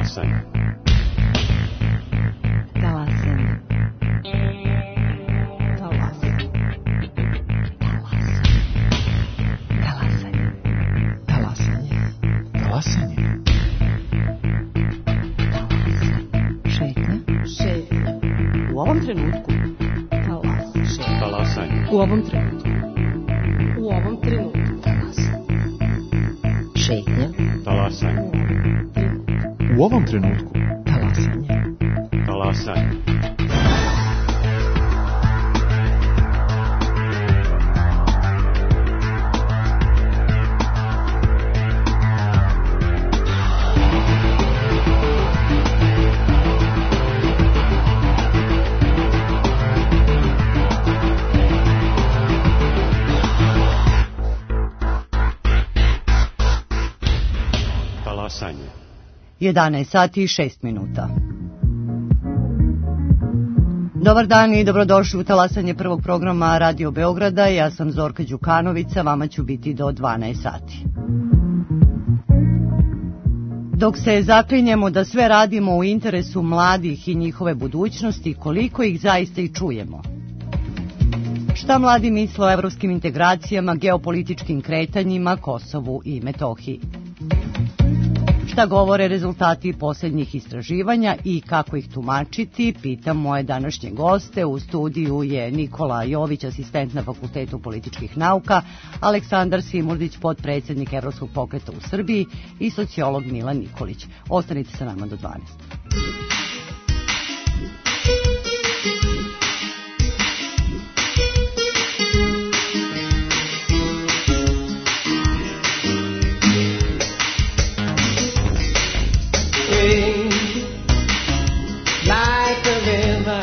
Talasanje. Talasanje. Talasanje. Talasanje. Talasanje. Talasanje. Šetnja. Šetnja. U ovom trenutku. Talasanje. U ovom trenutku. U ovom trenutku. Šetnja. Talasanje. U ovom trenutku. Talasanje. Talasanje. Talasanje. 11 sati i 6 minuta. Dobar dan i dobrodošli u talasanje prvog programa Radio Beograda. Ja sam Zorka Đukanovića, vama ću biti do 12 sati. Dok se zaklinjemo da sve radimo u interesu mladih i njihove budućnosti, koliko ih zaista i čujemo? Šta mladi misle o evropskim integracijama, geopolitičkim kretanjima, Kosovu i Metohiji? Šta govore rezultati posljednjih istraživanja i kako ih tumačiti, pitam moje današnje goste. U studiju je Nikola Jović, asistent na Fakultetu političkih nauka, Aleksandar Simurdić, potpredsjednik Evropskog pokreta u Srbiji i sociolog Milan Nikolić. Ostanite sa nama do 12. Like a river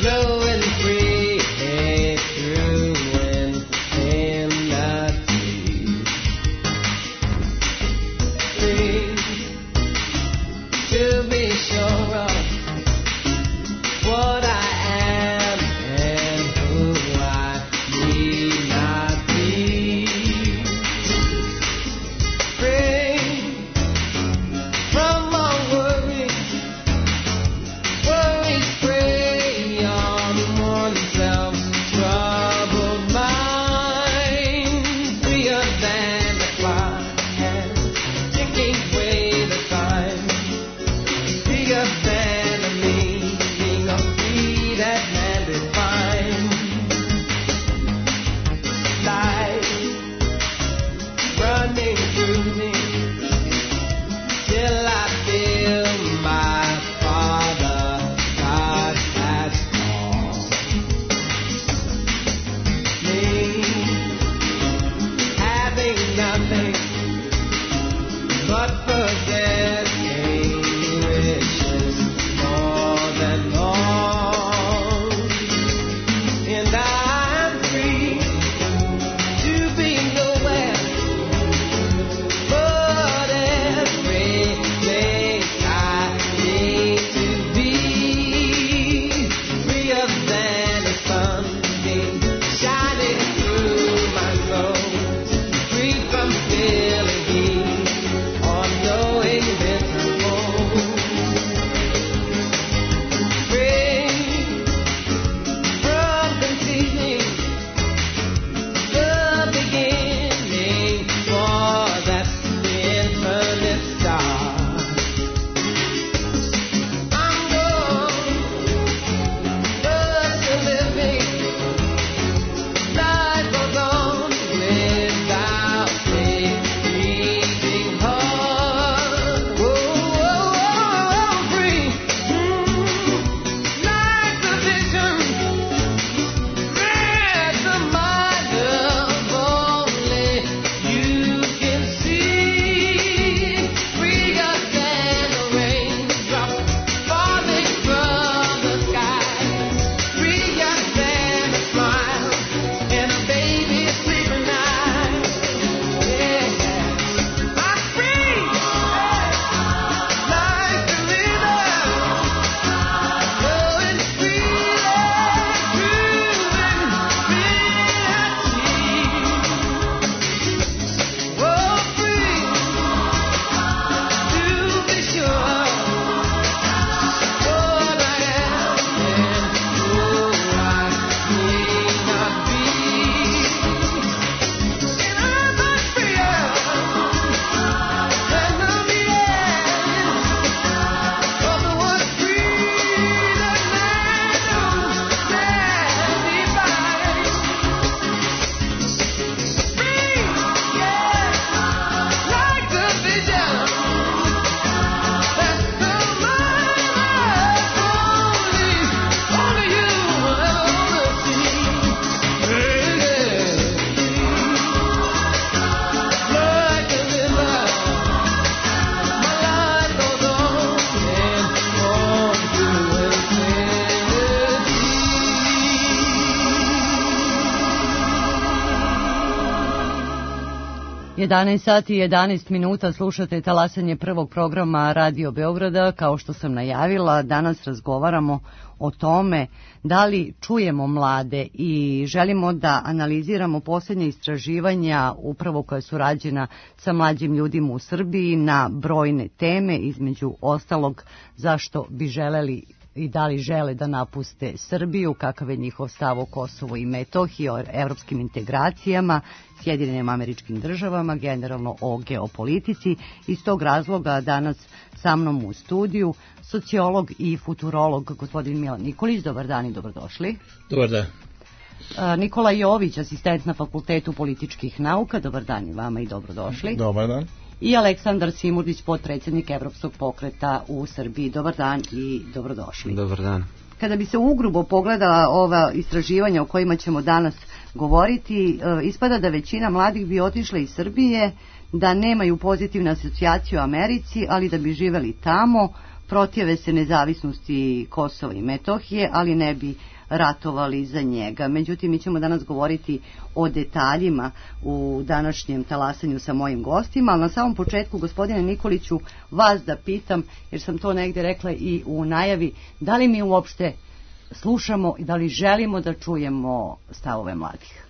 flowing free through infinity, free to 11 sati i 11 minuta slušate talasanje prvog programa Radio Beograda. Kao što sam najavila, danas razgovaramo o tome da li čujemo mlade i želimo da analiziramo posljednje istraživanja upravo koja su rađena sa mlađim ljudima u Srbiji na brojne teme, između ostalog zašto bi želeli i da li žele da napuste Srbiju, kakav je njihov stav o Kosovu i Metohiji, o evropskim integracijama, Sjedinjenim Američkim Državama, generalno o geopolitici. Iz tog razloga danas sa mnom u studiju sociolog i futurolog gospodin Milan Nikolić. Dobar dan i dobrodošli. Dobar dan. Nikola Jović, asistent na Fakultetu političkih nauka. Dobar dan i vama i dobrodošli. Dobar dan. I Aleksandar Simurdić, potpredsjednik Evropskog pokreta u Srbiji. Dobar dan i dobrodošli. Dobar dan. Kada bi se ugrubo pogledala ova istraživanja o kojima ćemo danas govoriti, ispada da većina mladih bi otišla iz Srbije, da nemaju pozitivnu asocijaciju u Americi, ali da bi živeli tamo, protive se nezavisnosti Kosova i Metohije, ali ne bi ratovali za njega. Međutim, mi ćemo danas govoriti o detaljima u današnjem talasanju sa mojim gostima, ali na samom početku, gospodine Nikoliću, vas da pitam, jer sam to negdje rekla i u najavi, da li mi uopšte slušamo i da li želimo da čujemo stavove mladih?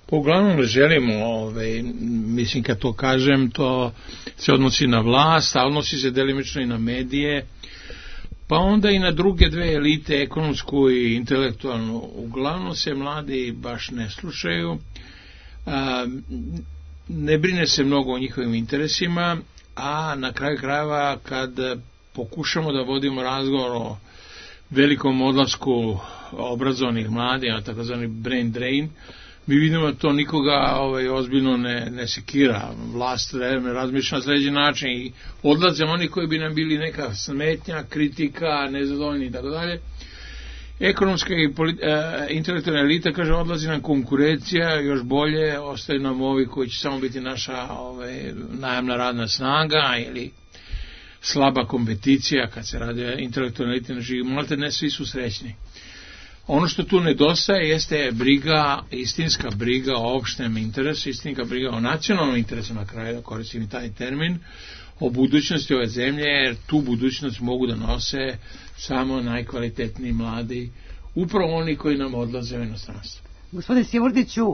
Pa uglavnom želimo, mislim kad to kažem, to se odnosi na vlast, a odnosi se delimično i na medije, pa onda i na druge dve elite, ekonomsku i intelektualnu. Uglavnom se mladi baš ne slušaju, ne brine se mnogo o njihovim interesima, a na kraju krajeva kad pokušamo da vodimo razgovor o velikom odlasku obrazovanih mladih, a takozvani brain drain, mi vidimo da to nikoga ozbiljno ne sekira. Vlast ne razmišlja na sljedeći način i odlaze oni koji bi nam bili neka smetnja, kritika, nezadovoljni i tako dalje. Ekonomska i intelektualna elita kaže odlazi nam konkurencija, još bolje, ostaju nam ovi koji će samo biti naša najamna radna snaga ili slaba kompeticija kad se radi o intelektualnoj eliti na živi. Malte ne svi su srećni. Ono što tu nedostaje jeste briga, istinska briga o opštem interesu, istinska briga o nacionalnom interesu, na kraju da koristim i taj termin, o budućnosti ove zemlje, jer tu budućnost mogu da nose samo najkvalitetniji mladi, upravo oni koji nam odlaze u inostranstvo. Gospodine Simurdiću,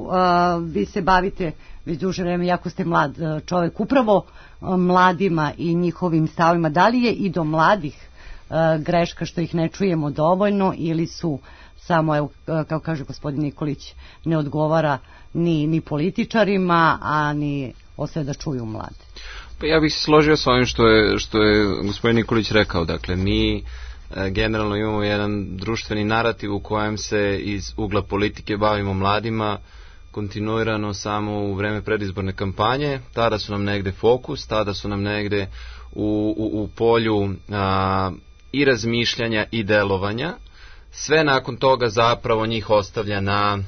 vi se bavite već duže vreme, jako ste mlad čovjek, upravo mladima i njihovim stavima. Da li je i do mladih greška što ih ne čujemo dovoljno ili su samo, evo, kao kaže gospodin Nikolić, ne odgovara ni političarima, a ni ostaje da čuju mlade? Pa ja bih se složio s ovim što je gospodin Nikolić rekao. Dakle, mi generalno imamo jedan društveni narativ u kojem se iz ugla politike bavimo mladima kontinuirano samo u vreme predizborne kampanje. Tada su nam negde fokus, tada su nam negde u polju i razmišljanja i delovanja. Sve nakon toga zapravo njih ostavlja na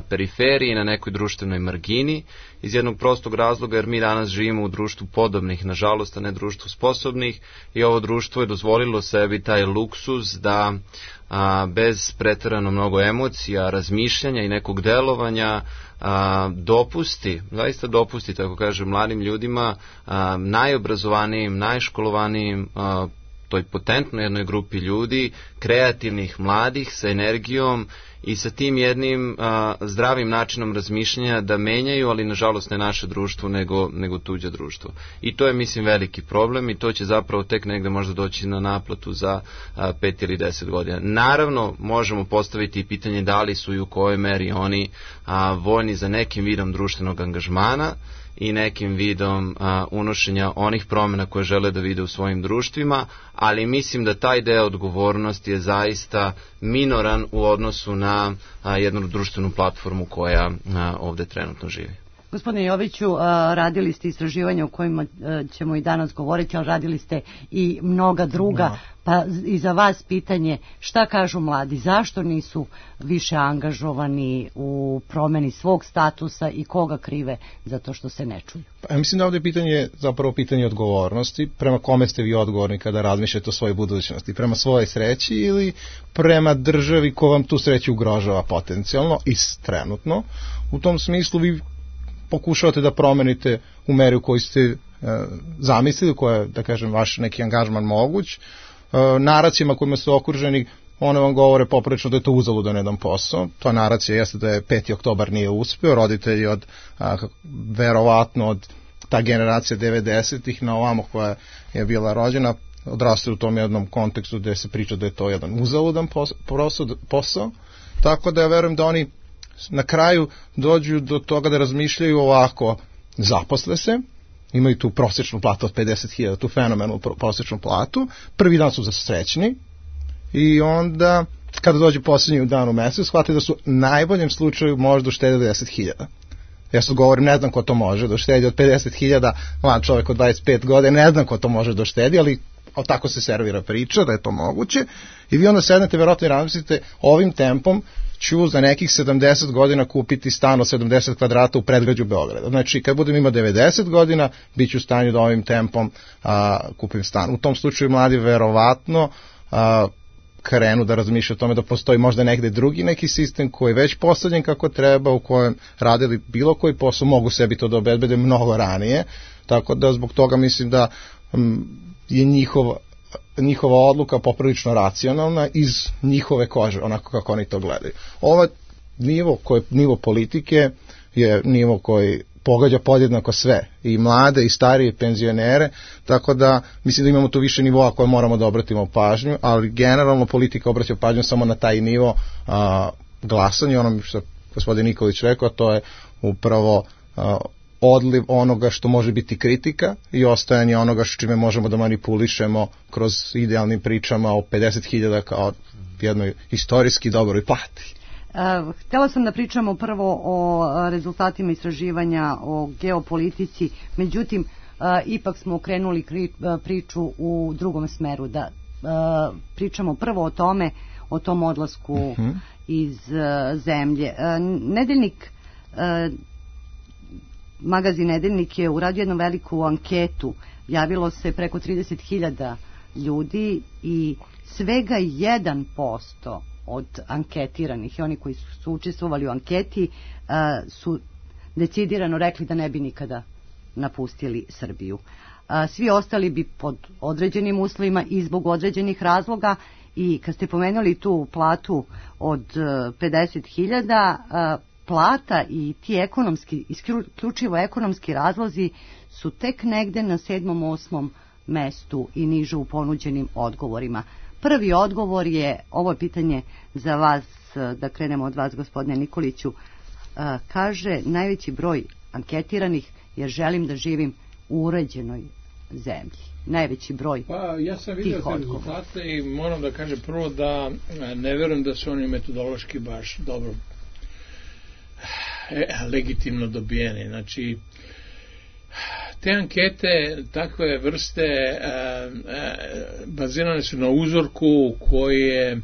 periferiji, na nekoj društvenoj margini, iz jednog prostog razloga jer mi danas živimo u društvu podobnih, nažalost, a ne društvu sposobnih, i ovo društvo je dozvolilo sebi taj luksuz da bez preterano mnogo emocija, razmišljanja i nekog delovanja zaista dopusti, tako kažem, mladim ljudima, najobrazovanijim, najškolovanijim, toj potentnoj jednoj grupi ljudi, kreativnih, mladih, sa energijom i sa tim jednim zdravim načinom razmišljanja da menjaju, ali nažalost ne naše društvo, nego tuđe društvo. I to je, mislim, veliki problem i to će zapravo tek negde možda doći na naplatu za 5 ili 10 godina. Naravno, možemo postaviti i pitanje da li su i u kojoj meri oni voljni za nekim vidom društvenog angažmana i nekim vidom unošenja onih promjena koje žele da vide u svojim društvima, ali mislim da taj deo odgovornosti je zaista minoran u odnosu na jednu društvenu platformu koja ovde trenutno živi. Gospodine Joviću, radili ste istraživanja o kojima ćemo i danas govoriti, ali radili ste i mnoga druga, pa i za vas pitanje, šta kažu mladi, zašto nisu više angažovani u promjeni svog statusa i koga krive za to što se ne čuju? Pa, ja mislim da ovdje pitanje zapravo pitanje odgovornosti, prema kome ste vi odgovorni kada razmišljate o svojoj budućnosti, prema svojoj sreći ili prema državi ko vam tu sreću ugrožava potencijalno i trenutno. U tom smislu vi pokušavate da promenite u meri u kojoj ste zamislili, koja je, da kažem, vaš neki angažman moguć. Naracijama kojima ste okruženi, one vam govore poprilično da je to uzaludan jedan posao. Ta naracija jeste da je 5. oktobar nije uspeo, roditelji verovatno od ta generacija 90-ih na ovamo koja je bila rođena, odrastaju u tom jednom kontekstu gde se priča da je to jedan uzaludan posao. Tako da ja verujem da oni na kraju dođu do toga da razmišljaju ovako, zaposle se, imaju tu prosječnu platu od 50.000, tu fenomenalnu prosječnu platu, prvi dan su zasrećni i onda kada dođe posljednji dan u mesecu shvate da su u najboljem slučaju možda uštedili 10.000. Ja sad govorim, ne znam ko to može da uštedi od 50.000, mlad čovjek od 25 godina, ne znam ko to može da uštedi, ali tako se servira priča da je to moguće i vi onda sednete verovatno i razmislite, ovim tempom ću za nekih 70 godina kupiti stan od 70 kvadrata u predgrađu Beograda. Znači, kad budem imao 90 godina, bit ću u stanju da ovim tempom kupim stan. U tom slučaju mladi verovatno krenu da razmišlja o tome da postoji možda negde drugi neki sistem koji je već postavljen kako treba, u kojem radili bilo koji posao, mogu sebi to da obezbede mnogo ranije, tako da zbog toga mislim da je njihova odluka poprilično racionalna iz njihove kože, onako kako oni to gledaju. Ovaj nivo politike je nivo koji pogađa podjednako sve, i mlade, i starije, i penzionere, tako da mislim da imamo tu više nivoa koje moramo da obratimo pažnju, ali generalno politika obraća pažnju samo na taj nivo glasanja, ono što gospodin Nikolić rekao, to je upravo odliv onoga što može biti kritika i ostajanje onoga što čime možemo da manipulišemo kroz idealnim pričama o 50.000 kao jednoj istorijski dobroj plati. Htjela sam da pričamo prvo o rezultatima istraživanja o geopolitici, međutim ipak smo okrenuli priču u drugom smeru, da pričamo prvo o tom odlasku iz zemlje. Magazin Nedeljnik je uradio jednu veliku anketu, javilo se preko 30.000 ljudi i svega 1% od anketiranih i oni koji su učestvovali u anketi su decidirano rekli da ne bi nikada napustili Srbiju. Svi ostali bi pod određenim uslovima i zbog određenih razloga, i kad ste pomenuli tu platu od 50.000, plata i ti ekonomski, isključivo ekonomski razlozi su tek negde na 7. 8. mestu i niže u ponuđenim odgovorima. Prvi odgovor je, ovo je pitanje za vas, da krenemo od vas, gospodine Nikoliću, kaže najveći broj anketiranih jer želim da živim u uređenoj zemlji. Najveći broj tih odgovora. Ja sam vidio te rezultate i moram da kažem prvo da ne verujem da su oni metodološki baš dobro legitimno dobijeni. Znači, te ankete takve vrste bazirane su na uzorku koji je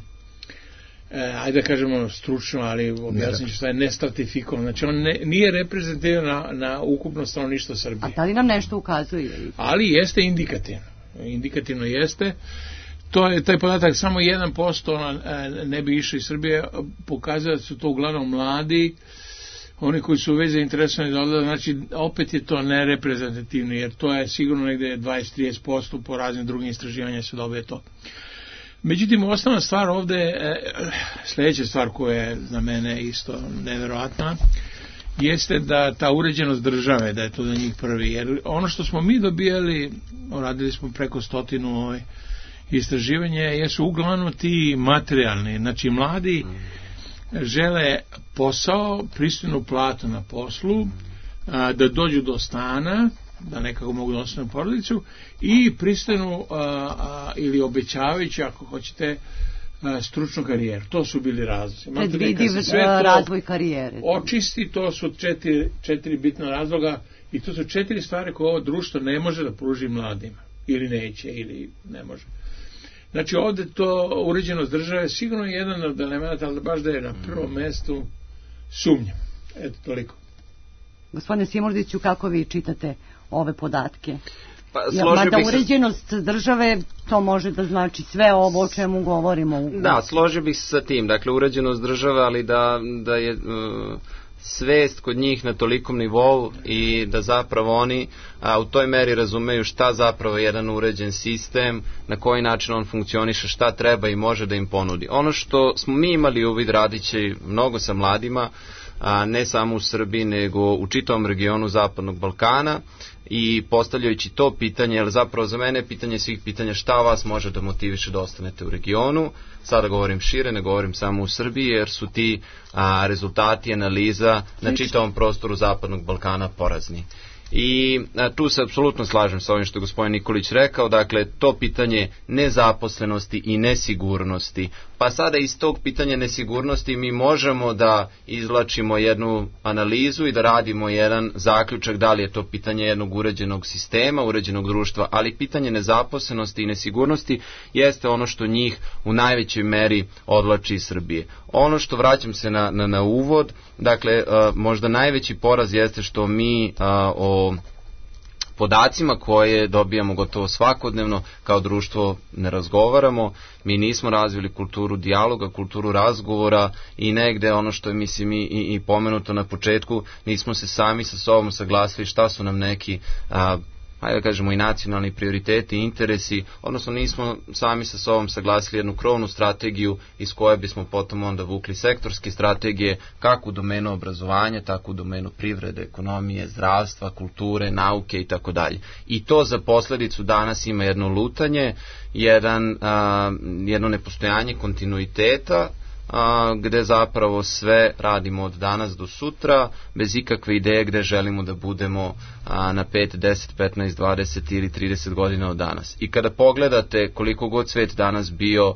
ajde da kažemo stručno, ali objasnit ću šta je nestratifikovan. Znači on nije reprezentativan na ukupno stanovništvo Srbije. A da li nam nešto ukazuje? Ali jeste indikativno. Indikativno jeste. To je taj podatak, samo 1% ne bi išao iz Srbije, pokazuje da su to uglavnom mladi, oni koji su već zainteresovani da odlaze, znači opet je to nereprezentativno, jer to je sigurno negde 20-30%, po raznim drugim istraživanjima se dobije to. Međutim, osnovna stvar ovde, sljedeća stvar koja je za mene isto neverovatna, jeste da ta uređenost države, da je to za njih prvi, jer ono što smo mi dobijali, radili smo preko 100 istraživanja, jesu uglavnom ti materijalni, znači mladi žele posao, pristojnu platu na poslu, da dođu do stana, da nekako mogu da ostanu porodicu, i pristojnu ili obećavajući, ako hoćete, stručnu karijeru. To su bili razlozi. Predvidiv razvoj karijere. Očisti, to su četiri bitna razloga, i to su 4 stvari koje ovo društvo ne može da pruži mladima. Ili neće, ili ne može. Znači ovde to uređenost države sigurno je jedan od elementa, ali baš da je na prvom mestu sumnjam. Eto, toliko. Gospodine Simordiću, kako vi čitate ove podatke? Mada uređenost države, to može da znači sve ovo o čemu govorimo. Da, složio bih se sa tim. Dakle, uređenost države, ali da je svest kod njih na tolikom nivou i da zapravo oni u toj meri razumeju šta zapravo je jedan uređen sistem, na koji način on funkcioniše, šta treba i može da im ponudi. Ono što smo mi imali uvid radići mnogo sa mladima, ne samo u Srbiji nego u čitavom regionu Zapadnog Balkana, i postavljajući to pitanje, jer zapravo za mene je pitanje svih pitanja šta vas može da motiviše da ostanete u regionu. Sada govorim šire, ne govorim samo u Srbiji, jer su ti rezultati analiza na čitavom prostoru Zapadnog Balkana porazni. I tu se apsolutno slažem sa ovim što je gospodin Nikolić rekao, dakle to pitanje nezaposlenosti i nesigurnosti, pa sada iz tog pitanja nesigurnosti mi možemo da izvlačimo jednu analizu i da radimo jedan zaključak da li je to pitanje jednog uređenog sistema, uređenog društva, ali pitanje nezaposlenosti i nesigurnosti jeste ono što njih u najvećoj meri odvlači iz Srbije. Ono što, vraćam se na uvod, dakle možda najveći poraz jeste što mi o podacima koje dobijamo gotovo svakodnevno kao društvo ne razgovaramo. Mi nismo razvili kulturu dijaloga, kulturu razgovora i negde ono što je mislim i pomenuto na početku, nismo se sami sa sobom saglasili šta su nam neki ajde da kažemo i nacionalni prioriteti i interesi, odnosno nismo sami sa sobom saglasili jednu krovnu strategiju iz koje bismo potom onda vukli sektorske strategije kako u domenu obrazovanja, tako u domenu privrede, ekonomije, zdravstva, kulture, nauke i tako dalje. I to za posledicu danas ima jedno lutanje, jedno nepostojanje kontinuiteta, gde zapravo sve radimo od danas do sutra, bez ikakve ideje gde želimo da budemo na 5, 10, 15, 20 ili 30 godina od danas. I kada pogledate koliko god svet danas bio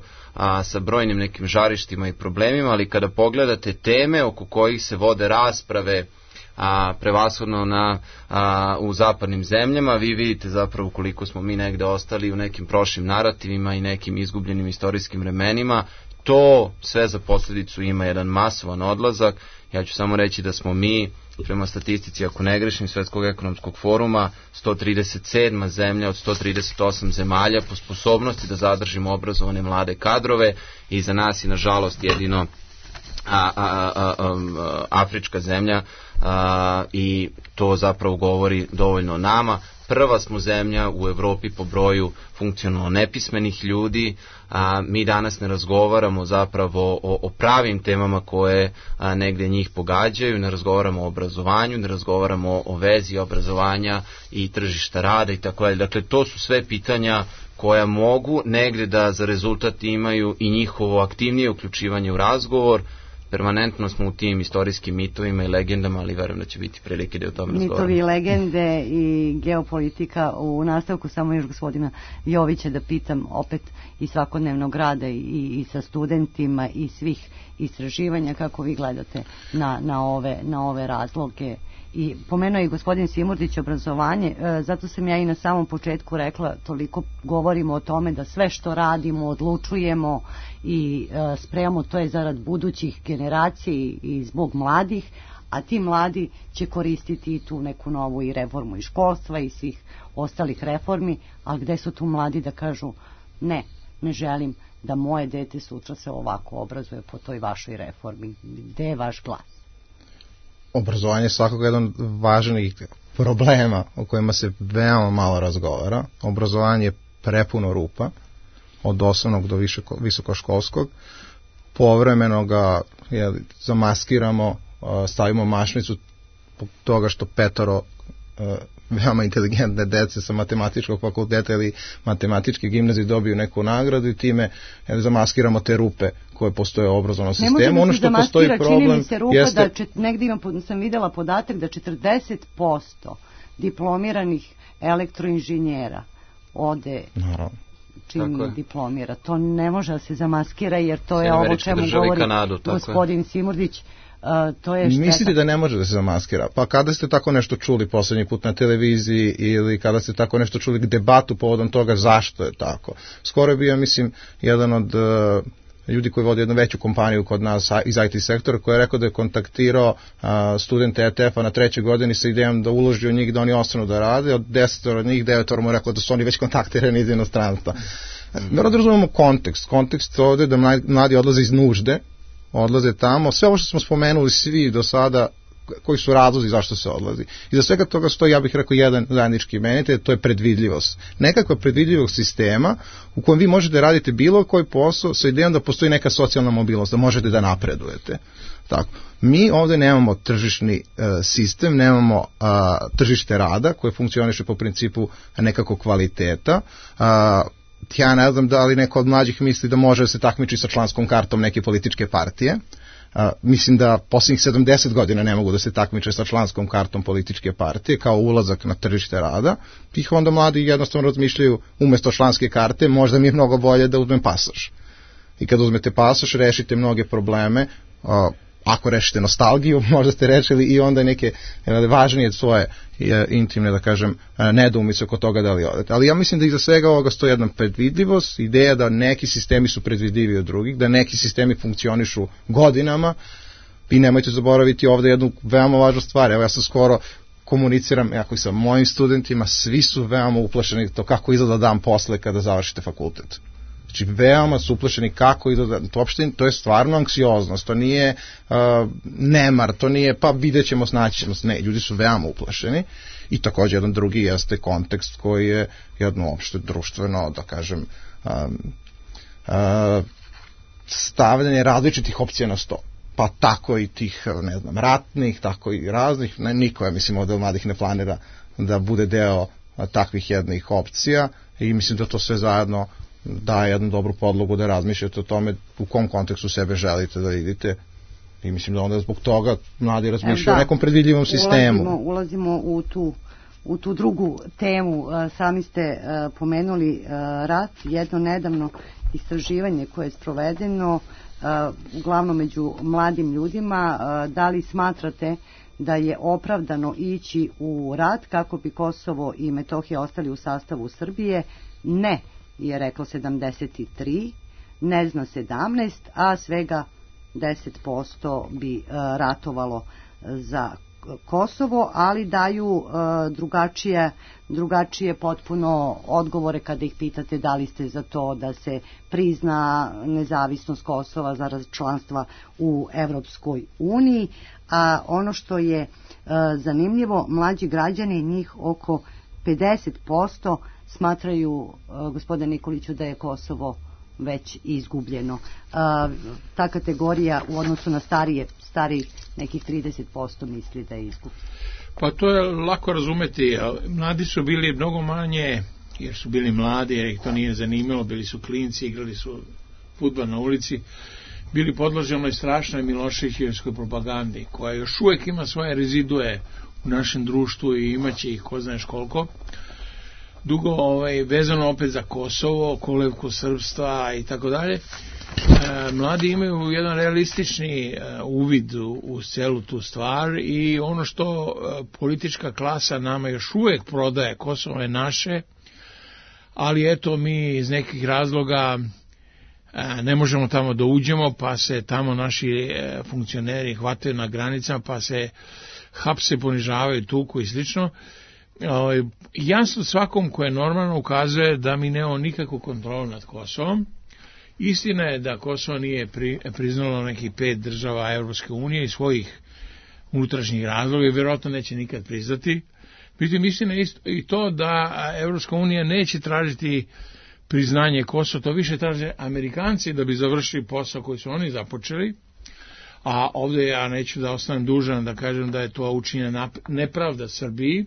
sa brojnim nekim žarištima i problemima, ali kada pogledate teme oko kojih se vode rasprave prevashodno u zapadnim zemljama, vi vidite zapravo koliko smo mi negde ostali u nekim prošlim narativima i nekim izgubljenim istorijskim vremenima. To sve za posljedicu ima jedan masovan odlazak. Ja ću samo reći da smo mi, prema statistici, ako ne grešim, Svetskog ekonomskog foruma, 137. zemlja od 138 zemalja po sposobnosti da zadržimo obrazovane mlade kadrove i za nas je nažalost jedino afrička zemlja i to zapravo govori dovoljno o nama. Prva smo zemlja u Evropi po broju funkcionalno nepismenih ljudi, mi danas ne razgovaramo zapravo o pravim temama koje negde njih pogađaju, ne razgovaramo o obrazovanju, ne razgovaramo o vezi obrazovanja i tržišta rada i tako dalje. Dakle, to su sve pitanja koja mogu negde da za rezultat imaju i njihovo aktivnije uključivanje u razgovor. Permanentno smo u tim istorijskim mitovima i legendama, ali verujem da će biti prilike da o tome razgovaramo. Mitovi, legende i geopolitika. U nastavku samo još gospodina Jovića da pitam opet i svakodnevnog rada i sa studentima i svih istraživanja, kako vi gledate na ove razloge. I pomenuo je gospodin Simurdić obrazovanje, zato sam ja i na samom početku rekla, toliko govorimo o tome da sve što radimo, odlučujemo i spremamo, to je zarad budućih generacija i zbog mladih, a ti mladi će koristiti i tu neku novu i reformu i školstva i svih ostalih reformi, ali gde su tu mladi da kažu ne želim da moje dete sutra se ovako obrazuje po toj vašoj reformi, gde je vaš glas? Obrazovanje je svakako jedan od važnih problema o kojima se veoma malo razgovara. Obrazovanje je prepuno rupa, od osnovnog do visokoškolskog. Povremeno ga zamaskiramo, stavimo mašnicu toga što petoro veoma inteligentne dece sa matematičkog fakulteta ili matematičke gimnazije dobiju neku nagradu i time zamaskiramo te rupe koje postoje u obrazovnom sistemu. Ono što postoji problem čini mi se rupa jeste... da negdje sam videla podatak da 40% diplomiranih elektroinženjera ode čim diplomira. To ne može da se zamaskira jer to je ovo čemu govori gospodin Simurdić. To je šteta. Mislite da ne može da se zamaskira? Pa kada ste tako nešto čuli poslednji put na televiziji ili kada ste tako nešto čuli debatu povodom toga zašto je tako? Skoro je bio, mislim, jedan od ljudi koji vodi jednu veću kompaniju kod nas iz IT sektora koji je rekao da je kontaktirao studente ETF-a na 3. godini sa idejom da uloži u njih da oni ostanu da rade. Od 10 od njih 9 mu je rekao da su oni već kontaktirani iz inostranstva. Moramo da razumemo kontekst. Kontekst ovde je da mladi odlaze iz nužde, odlaze tamo. Sve ovo što smo spomenuli svi do sada koji su razlozi zašto se odlazi. I za svega toga stoji, ja bih rekao, jedan zajednički imenitelj, to je predvidljivost. Nekakva predvidljivog sistema u kojem vi možete raditi bilo koji posao sa idejom da postoji neka socijalna mobilnost, da možete da napredujete. Tako. Mi ovde nemamo tržišni sistem, nemamo tržište rada koje funkcioniše po principu nekakvog kvaliteta. Ja ne znam da li neko od mlađih misli da može da se takmiči sa članskom kartom neke političke partije. Mislim da posljednjih 70 godina ne mogu da se takmiče sa članskom kartom političke partije kao ulazak na tržište rada. Ih onda mladi jednostavno razmišljaju, umesto članske karte možda mi je mnogo bolje da uzmem pasoš. I kad uzmete pasoš rešite mnoge probleme. Ako rešite nostalgiju, možda ste rešili i onda neke važnije svoje intimne, da kažem, nedoumice oko toga da li odete. Ali ja mislim da iza svega ovoga stoji jedna predvidljivost, ideja da neki sistemi su predvidljivi od drugih, da neki sistemi funkcionišu godinama i nemojte zaboraviti ovde jednu veoma važnu stvar. Evo ja sam skoro komuniciram jako i sa mojim studentima, svi su veoma uplašeni to kako izgleda dan posle kada završite fakultet. Znači, veoma su uplašeni kako izgleda, to je stvarno anksioznost, to nije nemar, to nije pa vidjet ćemo, snaći ćemo se, ne, ljudi su veoma uplašeni i također jedan drugi jeste kontekst koji je jedno opšte društveno, da kažem, stavljanje različitih opcija na sto. Pa tako i tih, ne znam, ratnih, tako i raznih, niko, ja mislim, od mladih ne planira da bude deo takvih jednih opcija i mislim da to sve zajedno daje jednu dobru podlogu da razmišljate o tome u kom kontekstu sebe želite da vidite i mislim da onda zbog toga mladi razmišljaju o nekom predvidljivom sistemu. Ulazimo u tu drugu temu. Sami ste pomenuli rat, jedno nedavno istraživanje koje je sprovedeno uglavnom među mladim ljudima. Da li smatrate da je opravdano ići u rat kako bi Kosovo i Metohija ostali u sastavu Srbije? Ne, je reklo 73, ne zna 17, a svega 10% bi ratovalo za Kosovo, ali daju drugačije potpuno odgovore kada ih pitate da li ste za to da se prizna nezavisnost Kosova za članstva u Evropskoj uniji. A ono što je zanimljivo, mlađi građani, njih oko 50%, smatraju, gospodine Nikoliću, da je Kosovo već izgubljeno. Ta kategorija u odnosu na stariji nekih 30% misli da je izgubljeno. Pa to je lako razumeti. Mladi su bili mnogo manje, jer su bili mladi, jer ih to nije zanimalo, bili su klinci, igrali su fudbal na ulici, bili podloženoj strašnoj Miloševićevskoj propagandi, koja još uvijek ima svoje rezidue u našem društvu i imaće ih ko znaš koliko. Dugo vezano opet za Kosovo, kolevku srpstva i tako dalje. Mladi imaju jedan realistični uvid u celu tu stvar i ono što politička klasa nama još uvijek prodaje, Kosovo je naše, ali eto mi iz nekih razloga ne možemo tamo da uđemo, pa se tamo naši funkcioneri hvataju na granicama, pa se hapse, ponižavaju, tuku i slično. Jasno svakom ko je normalno ukazuje da mi nemamo nikakvu kontrolu nad Kosovom. Istina je da Kosovo nije priznalo nekih 5 država Evropske unije i svojih unutrašnjih razloga i vjerojatno neće nikad priznati. Međutim, istina je i to da Evropska unija neće tražiti priznanje Kosova, to više traže Amerikanci da bi završili posao koji su oni započeli. A ovdje ja neću da ostanem dužan da kažem da je to učinjena nepravda Srbiji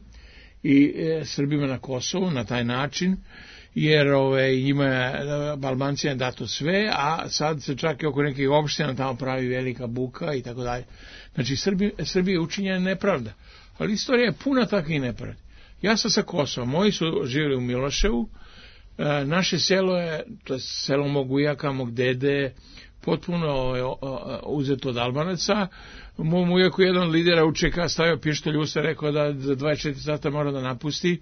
i Srbima na Kosovu na taj način, jer njima Albancima je dato sve, a sad se čak i oko nekih opština tamo pravi velika buka i tako dalje. Znači Srbije je učinjena nepravda, ali istorija je puna takvih nepravdi. Ja sam sa Kosova, moji su živjeli u Miloševu, naše selo je, to je selo mog ujaka, mog dede, potpuno uzeto od Albanaca. Mom ujaku jedan lidera UČK stavio pištolj u usta, rekao da za 24 sata mora da napusti.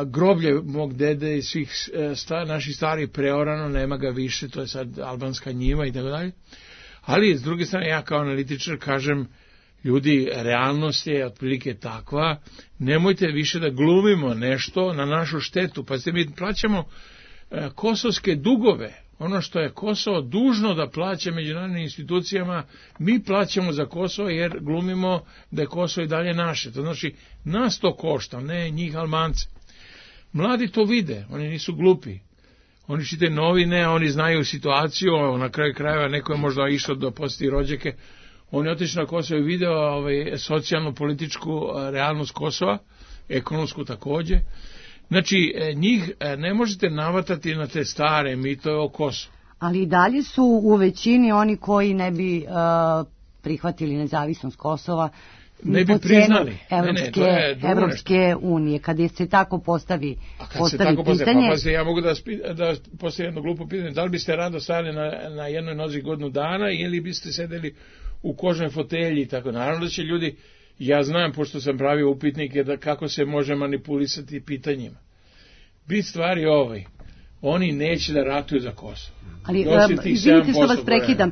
Groblje mog dede i svih naših starih preorano, nema ga više, to je sad albanska njiva i tako dalje. Ali s druge strane ja kao analitičar kažem, ljudi, realnost je otprilike takva, nemojte više da glumimo nešto na našu štetu, pa mi plaćamo kosovske dugove ono što je Kosovo dužno da plaća međunarodnim institucijama, mi plaćamo za Kosovo jer glumimo da je Kosovo i dalje naše. To znači, nas to košta, ne njih Albance. Mladi to vide, oni nisu glupi. Oni čitaju novine, oni znaju situaciju, na kraju krajeva neko je možda išao da posjeti rođake. On je otišao na Kosovo i video socijalno-političku realnost Kosova, ekonomsku takođe. Znači, njih ne možete navatati na te stare mitove o Kosovu. Ali i dalje su u većini oni koji ne bi prihvatili nezavisnost Kosova, ne bi priznali. Evropske unije, kada se tako postavi pitanje. Ja mogu da postavim jedno glupo pitanje. Da li biste rado stali na jednoj nozi godinu dana ili biste sedeli u kožnoj fotelji i tako? Naravno da će ljudi, ja znam, pošto sam pravio upitnike, da kako se može manipulisati pitanjima. Bit stvari oni neće da ratuju za Kosovo. Ali, izvinite što vas prekidam,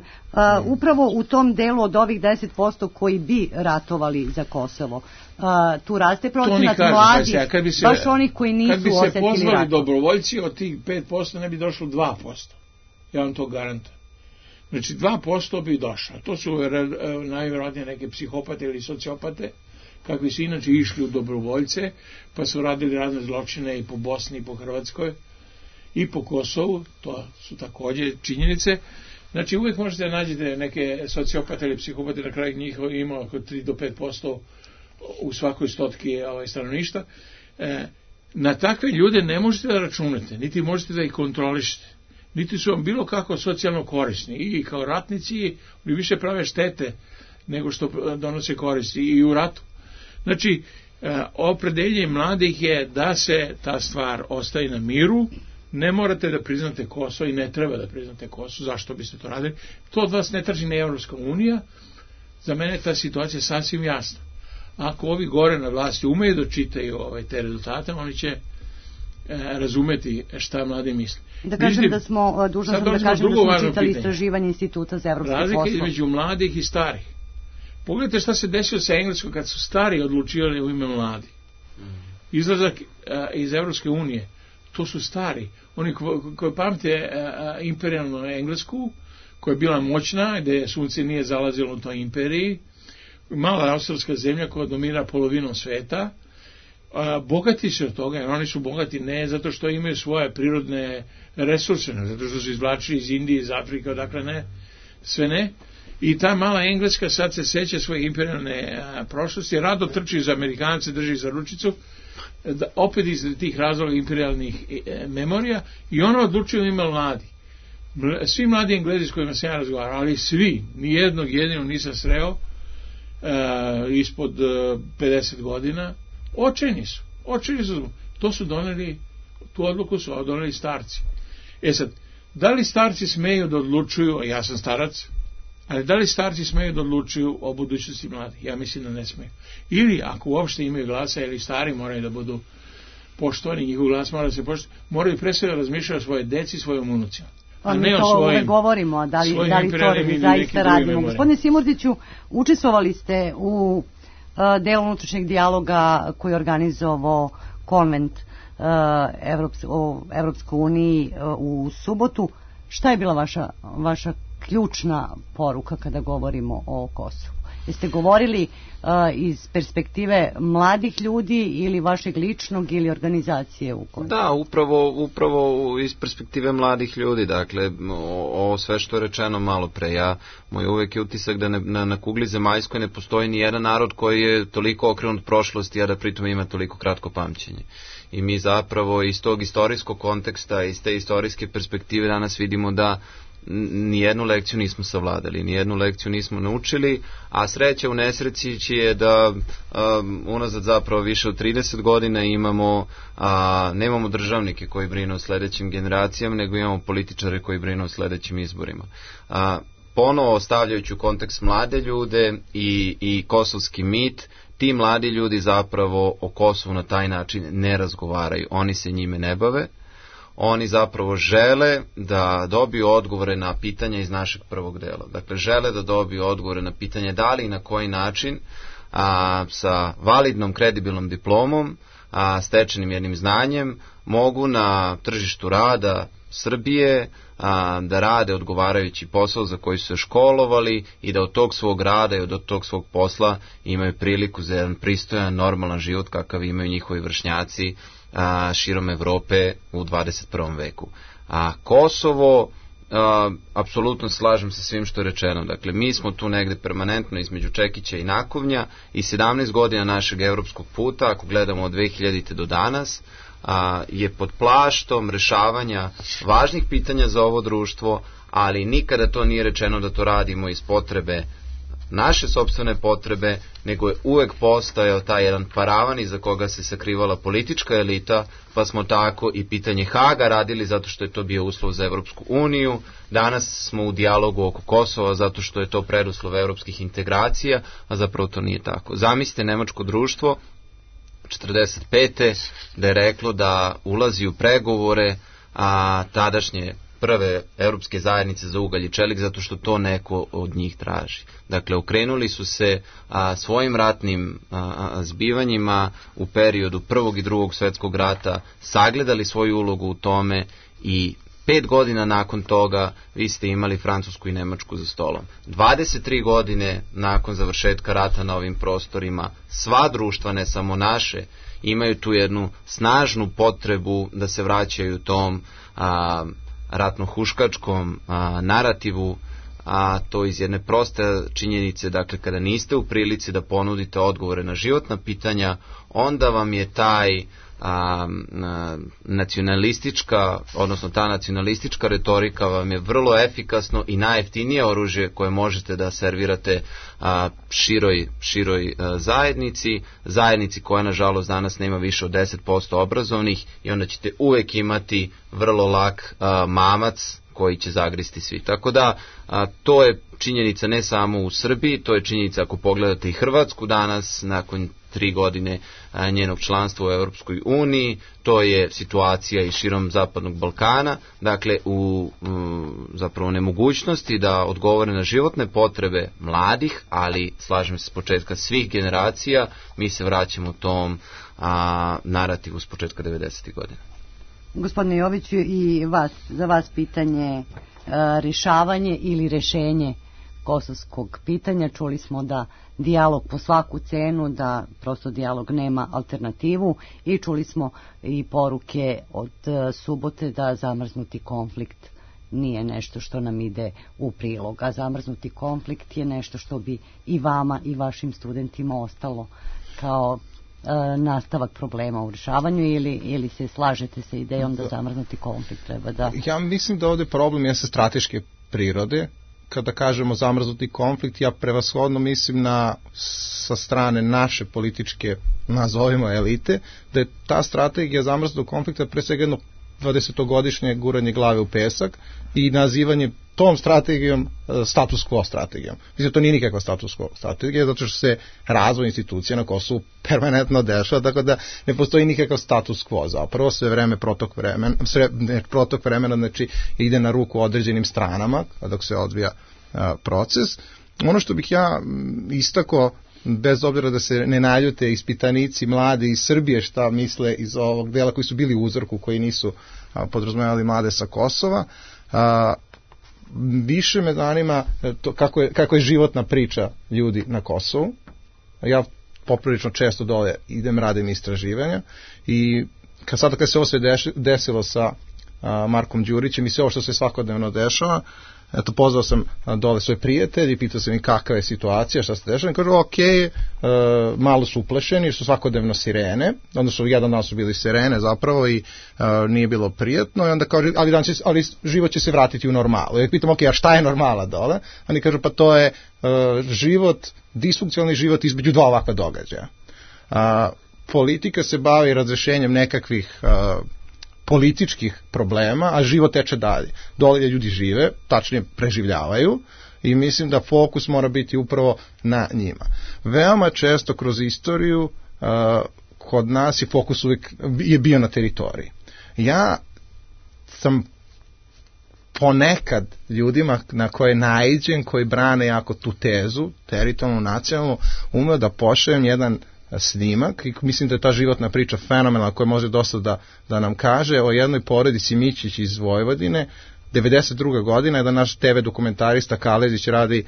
upravo u tom delu od ovih 10% koji bi ratovali za Kosovo, tu raste procenat mladih, baš onih koji nisu osetili rat. Kad bi se pozvali dobrovoljci, od tih 5% ne bi došlo 2%. Ja vam to garantujem. Znači 2% bi došlo. To su najvjerojatnije neke psihopate ili sociopate, kakvi su inače išli u dobrovoljce, pa su radili razne zločine i po Bosni i po Hrvatskoj i po Kosovu, to su takođe činjenice. Znači uvijek možete da nađete neke sociopate ili psihopate, na kraju njih ima oko 3 do 5% u svakoj stotki stanovništva. Na takve ljude ne možete da računate, niti možete da ih kontrolišete, niti su vam bilo kako socijalno korisni, i kao ratnici oni više prave štete nego što donose koristi i u ratu. Znači, opredeljenje mladih je da se ta stvar ostaje na miru. Ne morate da priznate Kosovo i ne treba da priznate Kosovo. Zašto biste to radili? To od vas ne traži ni Evropska unija. Za mene ta situacija je sasvim jasna. Ako ovi gore na vlasti umeju da čitaju te rezultate, oni će razumeti šta mladi misle. Da kažem da smo, dužan sam da kažem da smo čitali istraživanje Instituta za evropske poslove. Razlike između mladih i starih. Pogledajte šta se desilo sa Engleskom kad su stari odlučivali u ime mladi. Izlazak iz Evropske unije, to su stari. Oni koji pamte imperijalnu Englesku, koja je bila moćna, gde sunce nije zalazilo u toj imperiji, mala australska zemlja koja dominira polovinom sveta, bogati su od toga, jer oni su bogati ne zato što imaju svoje prirodne resurse, ne zato što su izvlačili iz Indije, iz Afrike, odakle ne, sve ne. I ta mala Engleska sad se seća svoje imperijalne prošlosti, rado trči za Amerikance, drži za ručicu, opet iz tih razloga imperijalnih memorija, i ona odlučuje ime mladi. Svi mladi Englezi s kojima sam ja razgovarao, ali svi, nijednog jedinog nisam sreo ispod 50 godina, očajni su. To su doneli, tu odluku su doneli starci. Sad, da li starci smeju da odlučuju, ja sam starac, ali da li starci smeju da odlučuju o budućnosti mladih? Ja mislim da ne smeju. Ili ako uopšte imaju glasa, ili stari moraju da budu poštovani, njihov glas mora da se poštovani, moraju pre svega razmišljati o svoje deci, svojim unucima. Pa mi to uvek govorimo, da li to zaista radimo. Gospodine Simurdiću, učestvovali ste u delu unutrašnjeg dijaloga koji je organizovao konvent o Evropskoj uniji u subotu. Šta je bila vaša ključna poruka kada govorimo o Kosovu? Jeste govorili iz perspektive mladih ljudi ili vašeg ličnog ili organizacije u Kosovu? Da, upravo iz perspektive mladih ljudi. Dakle, ovo sve što je rečeno malo pre, moj uvek je utisak da na kugli zemaljskoj ne postoji ni jedan narod koji je toliko okrenut prošlosti, a da pritom ima toliko kratko pamćenje. I mi zapravo iz tog istorijskog konteksta, iz te istorijske perspektive danas vidimo da nijednu lekciju nismo savladali, nijednu lekciju nismo naučili, a sreća u nesreći je da unazad zapravo više od 30 godina nemamo državnike koji brinu o sledećim generacijama, nego imamo političare koji brinu o sledećim izborima. Ponovo stavljajući u kontekst mlade ljude i kosovski mit, ti mladi ljudi zapravo o Kosovu na taj način ne razgovaraju, oni se njime ne bave. Oni zapravo žele da dobiju odgovore na pitanja iz našeg prvog dela. Dakle, žele da dobiju odgovore na pitanje da li i na koji način sa validnom, kredibilnom diplomom, stečenim jednim znanjem, mogu na tržištu rada Srbije, da rade odgovarajući posao za koji su se školovali i da od tog svog rada i od tog svog posla imaju priliku za jedan pristojan, normalan život kakav imaju njihovi vršnjaci širom Evrope u 21. veku. A Kosovo, apsolutno slažem se svim što je rečeno. Dakle, mi smo tu negde permanentno između čekića i nakovnja i 17 godina našeg evropskog puta, ako gledamo od 2000. do danas, je pod plaštom rešavanja važnih pitanja za ovo društvo, ali nikada to nije rečeno da to radimo iz potrebe, naše sopstvene potrebe, nego je uvek postojao taj jedan paravan iza koga se sakrivala politička elita, pa smo tako i pitanje Haga radili zato što je to bio uslov za Evropsku uniju. Danas smo u dijalogu oko Kosova zato što je to preduslov evropskih integracija, a zapravo to nije tako. Zamislite nemačko društvo 45. da je reklo da ulazi u pregovore tadašnje prve evropske zajednice za ugalj i čelik zato što to neko od njih traži. Dakle, okrenuli su se svojim ratnim zbivanjima u periodu Prvog i Drugog svjetskog rata, sagledali svoju ulogu u tome i 5 godina nakon toga vi ste imali Francusku i Nemačku za stolom. 23 godine nakon završetka rata na ovim prostorima, sva društva, ne samo naše, imaju tu jednu snažnu potrebu da se vraćaju tom ratno-huškačkom narativu, a to iz jedne proste činjenice, dakle, kada niste u prilici da ponudite odgovore na životna pitanja, onda vam je taj nacionalistička, odnosno ta nacionalistička retorika vam je vrlo efikasno i najjeftinije oružje koje možete da servirate široj zajednici koja nažalost danas nema više od 10% obrazovnih i onda ćete uvek imati vrlo lak mamac koji će zagristi svi. Tako da to je činjenica ne samo u Srbiji, to je činjenica ako pogledate i Hrvatsku danas nakon 3 godine njenog članstva u Europskoj uniji, to je situacija i širom Zapadnog Balkana, dakle u zapravo nemogućnosti da odgovore na životne potrebe mladih, ali slažem se s početka svih generacija, mi se vraćamo tom narativu s početka 90. godina. Gospodine Joviću, i za vas pitanje rješavanje ili rješenje kosovskog pitanja. Čuli smo da dijalog po svaku cenu, da prosto dijalog nema alternativu i čuli smo i poruke od subote da zamrznuti konflikt nije nešto što nam ide u prilog, a zamrznuti konflikt je nešto što bi i vama i vašim studentima ostalo kao nastavak problema u rješavanju ili se slažete sa idejom da zamrznuti konflikt treba da... Ja mislim da ovdje problem je sa strateške prirode. Kada kažemo zamrznuti konflikt, ja prevashodno mislim sa strane naše političke, nazovimo elite, da je ta strategija zamrznutog konflikta pre svega jedno 20-godišnje guranje glave u pesak i nazivanje tom strategijom status quo strategijom. Mislim, to nije nikakva status quo strategija, zato što se razvoj institucija na Kosovu permanentno dešava, tako da ne postoji nikakav status quo. Zapravo sve vreme protok vremena, znači ide na ruku određenim stranama dok se odvija proces. Ono što bih ja istakao, bez obzira da se ne naljute ispitanici mladi iz Srbije šta misle iz ovog dela koji su bili u uzorku, koji nisu podrazumevali mlade sa Kosova, više me zanima to kako je životna priča ljudi na Kosovu. Ja poprilično često dole idem, radim istraživanja i kad se ovo sve desilo sa Markom Đurićem i sve ovo što se svakodnevno dešava, eto, pozvao sam dole svoje prijatelji, pitao sam im kakva je situacija, šta se dešava, i kažu malo su uplešeni, jer su svakodnevno sirene, odnosno jedan dan su bili sirene zapravo i nije bilo prijatno, i onda kažu, ali život će se vratiti u normalu. Ja pitam, a šta je normala dole? Oni kažu, pa to je život, disfunkcionalni život između dva ovakva događaja. Politika se bavi razrešenjem nekakvih političkih problema, a život teče dalje. Dole ljudi žive, tačnije preživljavaju, i mislim da fokus mora biti upravo na njima. Veoma često kroz istoriju kod nas je fokus uvijek je bio na teritoriji. Ja sam ponekad ljudima na koje naiđem, koji brane jako tu tezu, teritorijalnu, nacionalnu, umeo da pošaljem jedan snimak i mislim da je ta životna priča fenomenalna koja može dosta da nam kaže o jednoj porodici Mićić iz Vojvodine. 92. godina je da naš TV dokumentarista Kalezić radi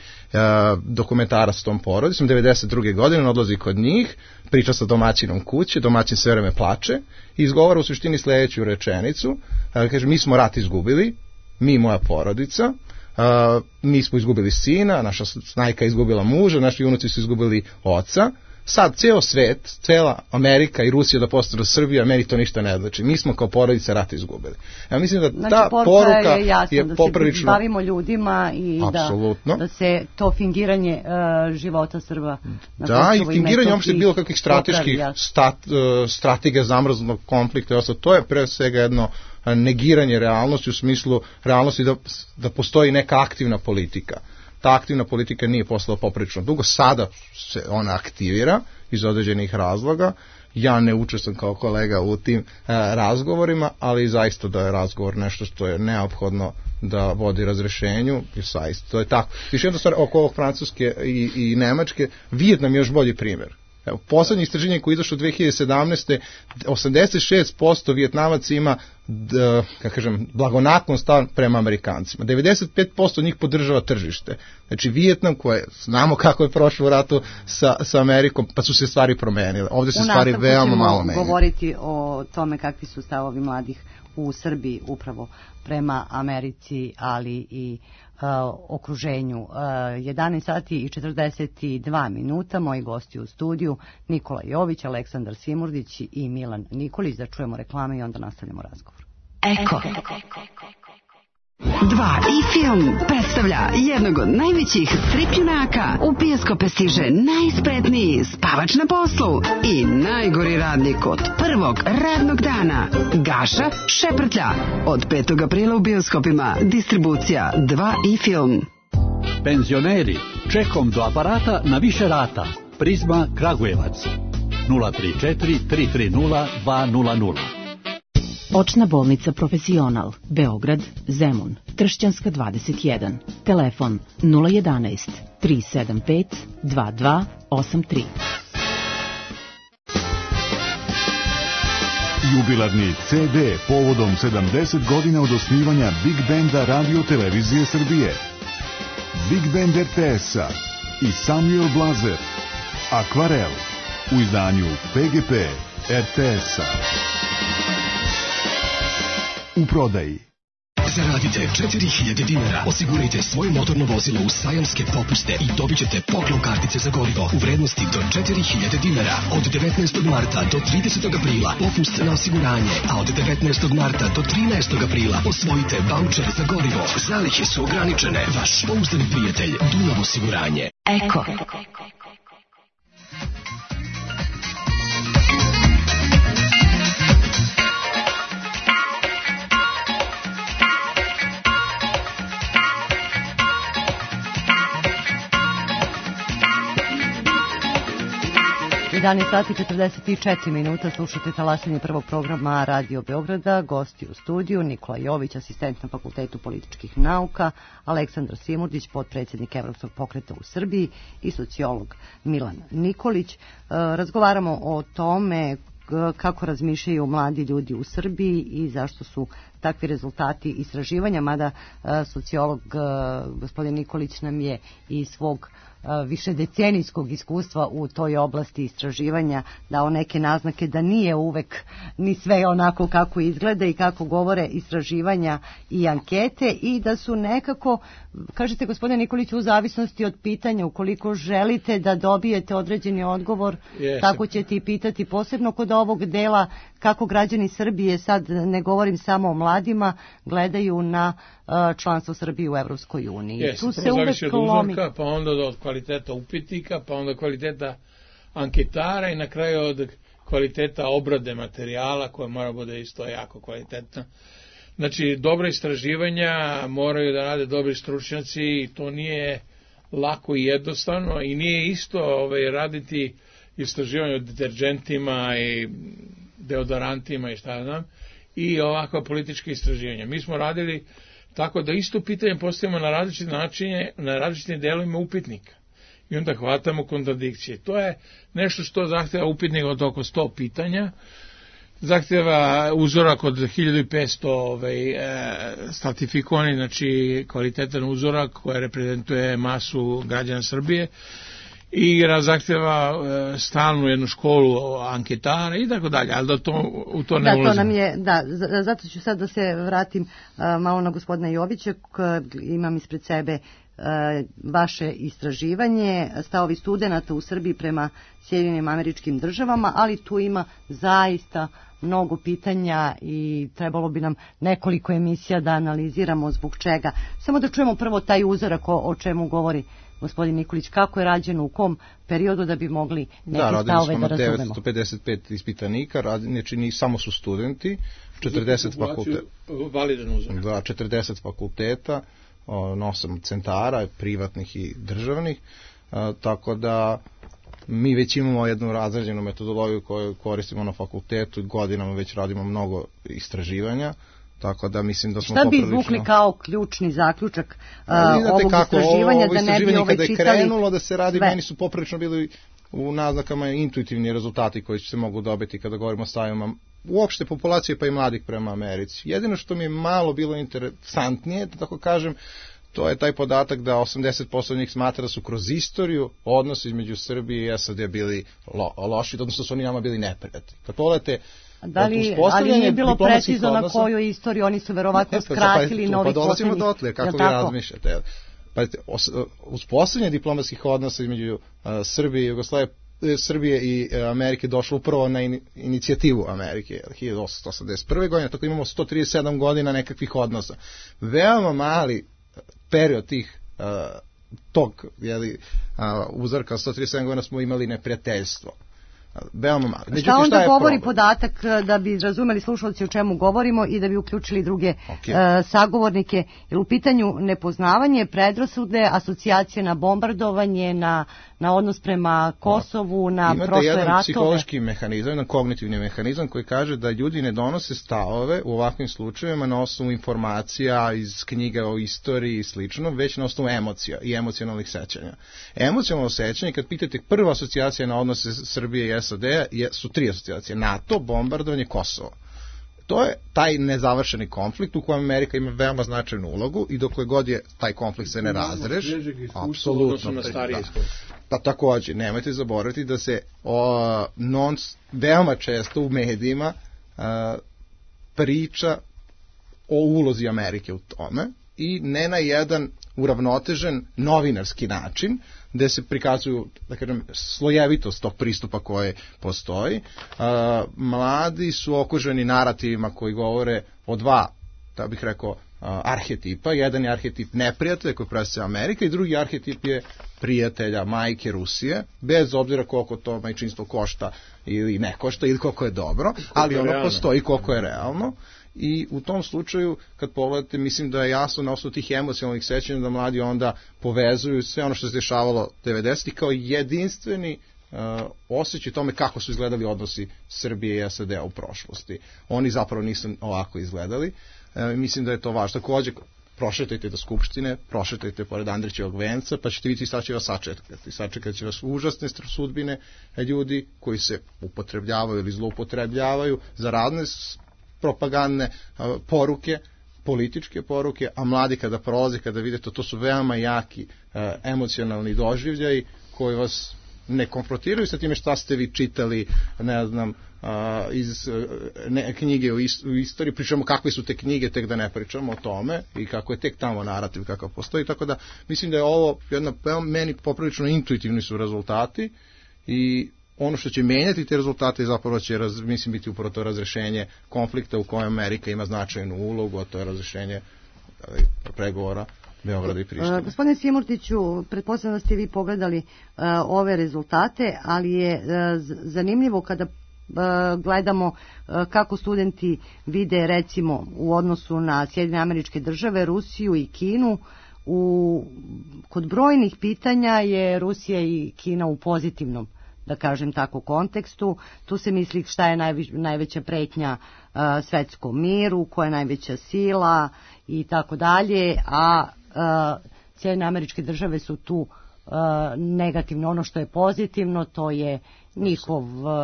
dokumentarac s tom porodicom. 92. godine on odlazi kod njih, priča sa domaćinom kuće, domaćin sve vreme plače i izgovara u suštini sledeću rečenicu. Kaže, mi smo rat izgubili, mi i moja porodica, mi smo izgubili sina, naša snajka izgubila muža, naši unuci su izgubili oca. Sad ceo svet, cela Amerika i Rusija da postanu Srbija, meni to ništa ne znači. Mi smo kao porodica rat izgubili. Ja mislim da znači, ta poruka je jasno, je da poprilično... se bavimo ljudima i da se to fingiranje života Srba... Da, i fingiranje uopšte bilo kakvih strateških strategija zamrznog konflikta. To je pre svega jedno negiranje realnosti u smislu realnosti da postoji neka aktivna politika. Ta aktivna politika nije postala poprilično dugo, sada se ona aktivira iz određenih razloga. Ja ne učestvujem kao kolega u tim razgovorima, ali zaista da je razgovor nešto što je neophodno da vodi razrešenju, i zaista to je tako. Još jedna stvar oko ovog Francuske i Nemačke, Vijetnam je još bolji primjer. Evo, poslednje istraženje koje je izašlo 2017. 86% Vijetnamaca ima blagonaklon stav prema Amerikancima. 95% njih podržava tržište. Znači Vijetnam, koje znamo kako je prošlo u ratu sa Amerikom, pa su se stvari promenile. Ovde se stvari veoma malo menjaju. Govoriti o tome kakvi su stavovi mladih u Srbiji upravo prema Americi, ali i okruženju. 11 sati i 42 minuta, moji gosti u studiju Nikola Jović, Aleksandar Simurdić i Milan Nikolić. Da čujemo reklame i onda nastavljamo razgovor. Eko. 2 i film predstavlja jednog od najvećih stripljunaka. U bioskope stiže najspretniji spavač na poslu i najgori radnik od prvog radnog dana. Gaša Šeprtlja. Od 5. aprila u bioskopima. Distribucija 2 i film. Penzioneri, čekom do aparata na više rata. Prizma Kragujevac. 034 330 200. Očna bolnica Profesional, Beograd, Zemun, Tršćanska 21, telefon 011 375 2283. Jubilarni CD povodom 70 godina od osnivanja Big Benda Radio Televizije Srbije. Big Band RTS-a i Samuel Blazer, Akvarel, u izdanju PGP RTS-a. U prodaji. Zaradite 4000 dinara, osigurajte svoje motorno vozilo u sajamske popuste i dobit ćete poklon kartice za gorivo u vrednosti do 4000 dinara. Od 19. marta do 30. aprila popust na osiguranje, a od 19. marta do 13. aprila osvojite vaučer za gorivo. Zalihe su ograničene. Vaš pouzdani prijatelj Dunav osiguranje. Eko. Sati 44 minuta, slušate talasanje prvog programa Radio Beograda. Gosti u studiju Nikola Jović, asistent na Fakultetu političkih nauka, Aleksandar Simurdić, potpredsjednik Evropskog pokreta u Srbiji i sociolog Milan Nikolić. Razgovaramo o tome kako razmišljaju mladi ljudi u Srbiji i zašto su takvi rezultati istraživanja, mada sociolog gospodin Nikolić nam je i svog višedecenijskog iskustva u toj oblasti istraživanja dao neke naznake da nije uvek ni sve onako kako izgleda i kako govore istraživanja i ankete i da su nekako, kažete gospodine Nikolić, u zavisnosti od pitanja, ukoliko želite da dobijete određeni odgovor, tako ćete i pitati, posebno kod ovog dela kako građani Srbije, sad ne govorim samo o mladima, gledaju na članstvo Srbije u Evropskoj uniji. Tu se uvek lomi. Pa onda od kvaliteta upitnika, pa onda kvaliteta anketara i na kraju od kvaliteta obrade materijala koja mora bude isto jako kvalitetna. Znači, dobra istraživanja moraju da rade dobri stručnjaci i to nije lako i jednostavno i nije isto raditi istraživanje o deterđentima i deodorantima i šta znam i ovakva politička istraživanja. Mi smo radili tako da isto pitanje postavimo na različite načine, na različitim delovima upitnika. i onda hvatamo kontradikcije. To je nešto što zahteva upitnik od oko 100 pitanja, zahteva uzorak od 1500 stratifikovani, znači kvalitetan uzorak koji reprezentuje masu građana Srbije, i zahteva stalnu jednu školu anketara i tako dalje, ali u to ne ulazimo. To nam je, zato ću sad da se vratim malo na gospodina Jovića, imam ispred sebe vaše istraživanje, stavovi studenata u Srbiji prema Sjedinjenim Američkim Državama, ali tu ima zaista mnogo pitanja i trebalo bi nam nekoliko emisija da analiziramo zbog čega. Samo da čujemo prvo taj uzorak o čemu govori gospodin Nikolić, kako je rađeno, u kom periodu, da bi mogli neke stavove da razumemo. 955 ispitanika, znači samo su studenti, 40 fakulteta. Validan uzorak. 40 fakulteta, 8 centara, privatnih i državnih, tako da mi već imamo jednu razrađenu metodologiju koju koristimo na fakultetu i godinama već radimo mnogo istraživanja, tako da mislim da smo Šta bi izvukli kao ključni zaključak ovog istraživanja, da ne bi kada je čitali krenulo da se radi, sve. Meni su poprilično bili u naznakama intuitivni rezultati koji se mogu dobiti kada govorimo o stavima uopšte populacije pa i mladih prema Americi. Jedino što mi je malo bilo interesantnije, da tako kažem, to je taj podatak da 80% njih smatra da su kroz istoriju odnosi između Srbije i SAD bili loši, odnosno su oni nama bili neprijatelji. Kad pogledate, ali nije bilo precizno na koju istoriju, oni su verovatno skratili novi dolazimo poslednjih. dotle, kako vi razmišljate. Uspostavljanje diplomatskih odnosa između Srbije i Jugoslavije, Srbije i Amerike došlo upravo na inicijativu Amerike 1881. godine, tako imamo 137 godina nekakvih odnosa. Veoma mali period tog uzorka 137 godina smo imali neprijateljstvo. Veoma malo. Šta onda govori podatak, da bi razumeli slušalci o čemu govorimo i da bi uključili druge sagovornike? Jer u pitanju nepoznavanje, predrasude, asocijacije na bombardovanje, na odnos prema Kosovu, na prošle ratove. Imate jedan psihološki mehanizam, jedan kognitivni mehanizam koji kaže da ljudi ne donose stavove u ovakvim slučajevima na osnovu informacija iz knjiga o istoriji i slično, već na osnovu emocija i emocionalnih sećanja. Emocionalno sećanje, kad pitate, prva asocijacija na odnose Srbije i SAD-a su 3 asocijacije: NATO, bombardovanje, Kosovo. To je taj nezavršeni konflikt u kojem Amerika ima veoma značajnu ulogu i dokle god je taj konflikt se ne razreši, apsolutno. Pa takođe, nemojte zaboraviti da se veoma često u medijima priča o ulozi Amerike u tome i ne na jedan uravnotežen novinarski način, gde se prikazuju, da kažem, slojevitost tog pristupa koje postoji. Mladi su okruženi narativima koji govore o dva, da bih rekao, arhetipa. Jedan je arhetip neprijatelja koji predstavlja Amerika i drugi arhetip je prijatelja, majke Rusije, bez obzira koliko to majčinstvo košta ili ne košta ili koliko je dobro, ali ono postoji koliko je realno. I u tom slučaju, kad pogledate, mislim da je jasno na osnovu tih emocionalnih sećanja da mladi onda povezuju sve ono što se dešavalo 90-ih kao jedinstveni osjećaj tome kako su izgledali odnosi Srbije i SAD-a u prošlosti. Oni zapravo nisu ovako izgledali. Mislim da je to važno. Takođe, prošetajte do Skupštine, prošetajte pored Andrićevog venca, pa ćete vidjeti šta će vas sačekati. Sačekat će vas užasne sudbine ljudi koji se upotrebljavaju ili zloupotrebljavaju za razne propagandne poruke, političke poruke, a mladi kada prolaze, kada vidite, to su veoma jaki emocionalni doživljaji koji vas ne konfrontiraju sa time šta ste vi čitali, ne znam, iz knjige u istoriji, pričamo kakve su te knjige, tek da ne pričamo o tome i kako je tek tamo narativ kakav postoji, tako da mislim da je ovo meni poprilično intuitivni su rezultati i ono što će menjati te rezultate zapravo će, mislim, biti upravo to razrešenje konflikta u kojem Amerika ima značajnu ulogu, a to je razrešenje pregovora Beograda i Prištine. Gospodine Simurtiću, pretpostavljam da ste vi pogledali ove rezultate, ali je zanimljivo kada gledamo kako studenti vide, recimo, u odnosu na Sjedinjene Američke Države, Rusiju i Kinu. Kod brojnih pitanja je Rusija i Kina u pozitivnom, da kažem tako, kontekstu. Tu se misli šta je najveća pretnja svetskom miru, koja je najveća sila i tako dalje, a Sjedinjene Američke Države su tu negativno. Ono što je pozitivno, to je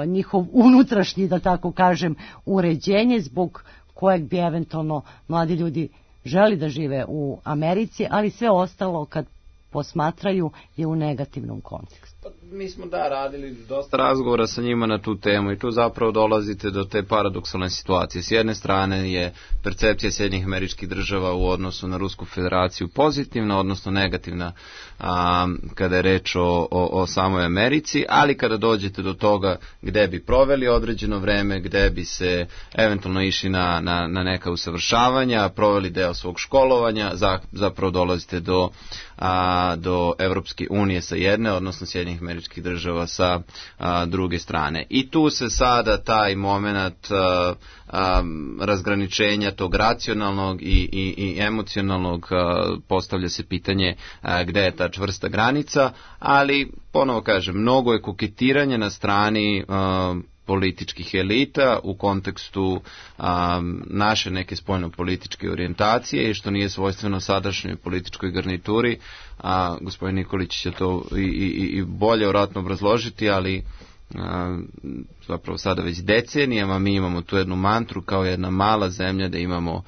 njihov unutrašnji, da tako kažem, uređenje zbog kojeg bi eventualno mladi ljudi želi da žive u Americi, ali sve ostalo kad posmatraju je u negativnom kontekstu. Mi smo radili dosta razgovora sa njima na tu temu i tu zapravo dolazite do te paradoksalne situacije. S jedne strane je percepcija Sjedinjenih Američkih Država u odnosu na Rusku federaciju pozitivna, odnosno negativna kada je reč o samoj Americi, ali kada dođete do toga gde bi proveli određeno vreme, gde bi se eventualno išli na neka usavršavanja, proveli deo svog školovanja, zapravo dolazite do Evropske unije sa jedne, odnosno Sjedinjenih Američkih Država sa druge strane. I tu se sada taj moment razgraničenja tog racionalnog i emocionalnog postavlja se pitanje gde je ta čvrsta granica, ali ponovo kažem, mnogo je koketiranje na strani političkih elita u kontekstu naše neke spoljno-političke orijentacije i što nije svojstveno sadašnjoj političkoj garnituri. Gospodin Nikolić će to i bolje vjerojatno obrazložiti, ali zapravo sada već decenijama mi imamo tu jednu mantru kao jedna mala zemlja da imamo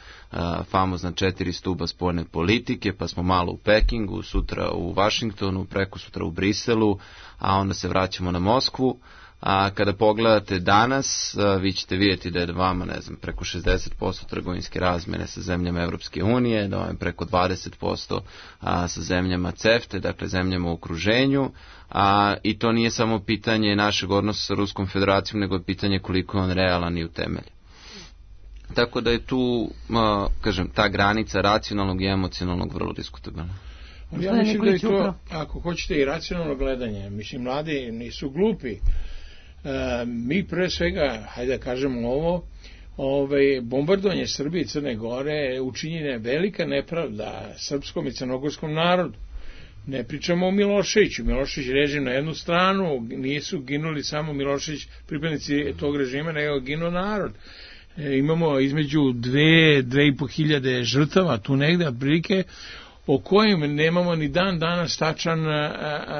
famozna 4 stuba spoljne politike, pa smo malo u Pekingu, sutra u Vašingtonu, preko sutra u Briselu, a onda se vraćamo na Moskvu. A kada pogledate danas, vi ćete vidjeti da je vama, preko 60% trgovinske razmjene sa zemljama Evropske unije, da je preko 20% sa zemljama CEFTA, dakle zemljama u okruženju, i to nije samo pitanje našeg odnosa sa Ruskom federacijom, nego je pitanje koliko je on realan i utemeljen. Tako da je tu, kažem, ta granica racionalnog i emocionalnog vrlo diskutabilna. Ja mislim da je to, ako hoćete, i racionalno gledanje. Mislim, mladi nisu glupi. Mi pre svega, hajde da kažemo bombardovanje Srbije i Crne Gore učinjena je velika nepravda srpskom i crnogorskom narodu. Ne pričamo o Miloševiću. Milošević režim na jednu stranu, nisu ginuli samo Milošević, pripadnici tog režima, nego je ginuo narod. Imamo između 2,5 hiljade žrtava, tu negde, otprilike, o kojim nemamo ni dan danas tačan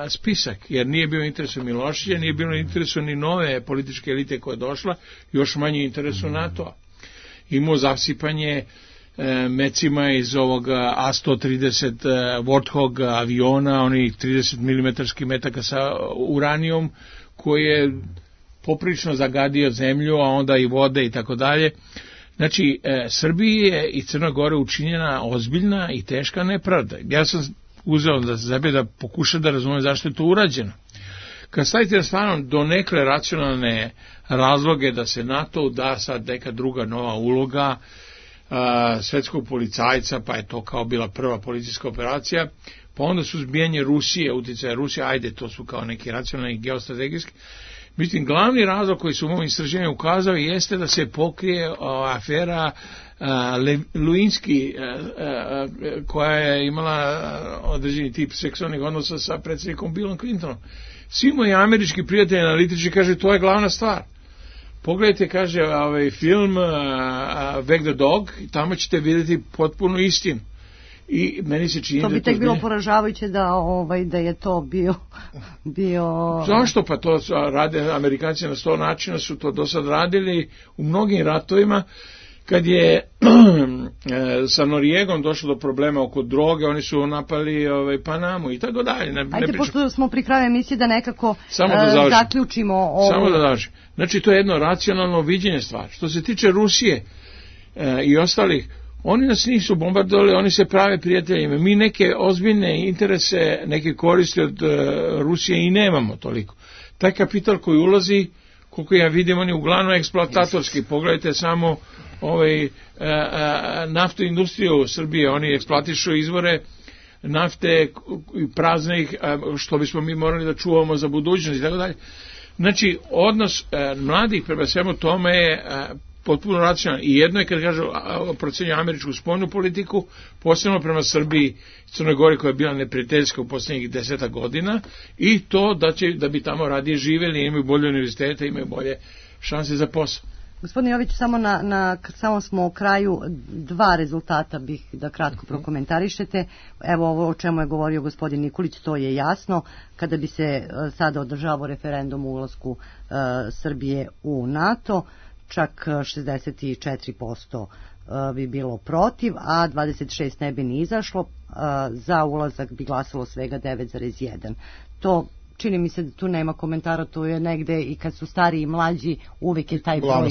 spisak, jer nije bio interesu Miloševića, nije bilo interesu ni nove političke elite koja je došla, još manje interesu NATO-a. Imamo zasipanje mecima iz ovog A-130 Warthog aviona, onih 30 mm metaka sa uranijom, koji je poprično zagadio zemlju, a onda i vode i tako dalje. Znači, Srbiji je i Crna Gora učinjena ozbiljna i teška nepravda. Ja sam uzeo za sebe da pokušam da razumem zašto je to urađeno. Kad stavite na stranu do nekle racionalne razloge da se NATO da sad neka druga nova uloga svetskog policajca, pa je to kao bila prva policijska operacija, pa onda suzbijanje Rusije, utjecaja Rusije, ajde, to su kao neki racionalni i geostrategijski. Mislim, glavni razlog koji su u mojom istraživanju ukazao jeste da se pokrije afera Lewinsky, koja je imala određeni tip seksualnih odnosa sa predsjednikom Billom Clintonom. Svi moji američki prijatelji analitički kaže to je glavna stvar. Pogledajte, kaže, film Wag the Dog, tamo ćete vidjeti potpuno istinu. I meni se čini to bi tek bilo poražavajuće da je to bio... Zašto? Pa to rade Amerikanci na 100 načina, su to do sad radili u mnogim ratovima. Kad je sa Noriegom došlo do problema oko droge, oni su napali Panamu i tako dalje. Ajde, pošto smo pri kraju emisije, da nekako zaključimo ovo. Samo da završim. Znači, to je jedno racionalno viđenje stvari. Što se tiče Rusije i ostalih, oni nas nisu bombardovali, oni se prave prijateljima. Mi neke ozbiljne interese, neke koristi od Rusije i nemamo toliko. Taj kapital koji ulazi, koliko ja vidim, on je uglavnom eksploatatorski. Pogledajte samo naftu industriju Srbije, oni eksploatišu izvore nafte praznih, što bismo mi morali da čuvamo za budućnost i tako dalje. Znači, odnos mladih prema svemu tome je potpuno racionalno. I jedno je kad kažu procenju američku spoljnu politiku, posebno prema Srbiji i Crnoj Gori koja je bila neprijateljska u posljednjih 10 godina, i to da bi tamo radije živjeli, imaju bolje univerzitete, imaju bolje šanse za posao. Gospodine Jović, samo smo u kraju, 2 rezultata bih da kratko prokomentarišete. Evo ovo o čemu je govorio gospodin Nikolić, to je jasno. Kada bi se sada održavao referendum o ulasku Srbije u NATO, čak 64% bi bilo protiv, a 26% ne bi ni izašlo. Za ulazak bi glasalo svega 9,1%. To čini mi se da tu nema komentara, to je negde i kad su stariji i mlađi uvijek je taj broj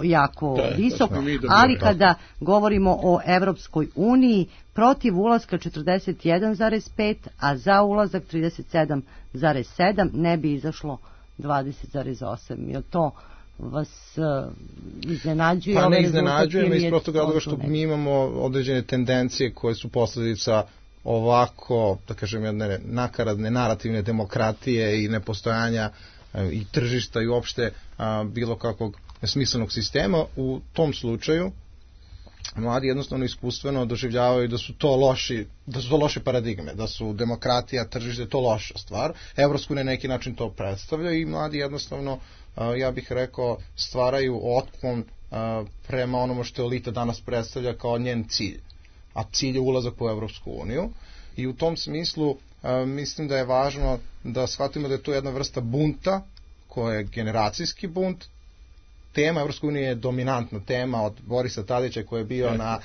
jako visok, ali kada govorimo o Evropskoj uniji, protiv ulaska 41,5, a za ulazak 37,7, ne bi izašlo 20,8. Je to vas iznenađuje? Pa ne iznenađuje me iz prostog razloga što mi imamo određene tendencije koje su posljedica ovako, da kažem, jedne nakaradne narativne demokratije i nepostojanja i tržišta i uopšte bilo kakvog smislenog sistema. U tom slučaju mladi jednostavno iskustveno doživljavaju da su to loše paradigme, da su demokratija, tržište to loša stvar. Evropsku na neki način to predstavlja i mladi jednostavno, ja bih rekao, stvaraju otklon prema onomu što elita danas predstavlja kao njen cilj. A cilj je ulazak u Evropsku uniju i u tom smislu mislim da je važno da shvatimo da je to jedna vrsta bunta koja je generacijski bunt. Tema Evropske unije je dominantna tema od Borisa Tadića koji je bio na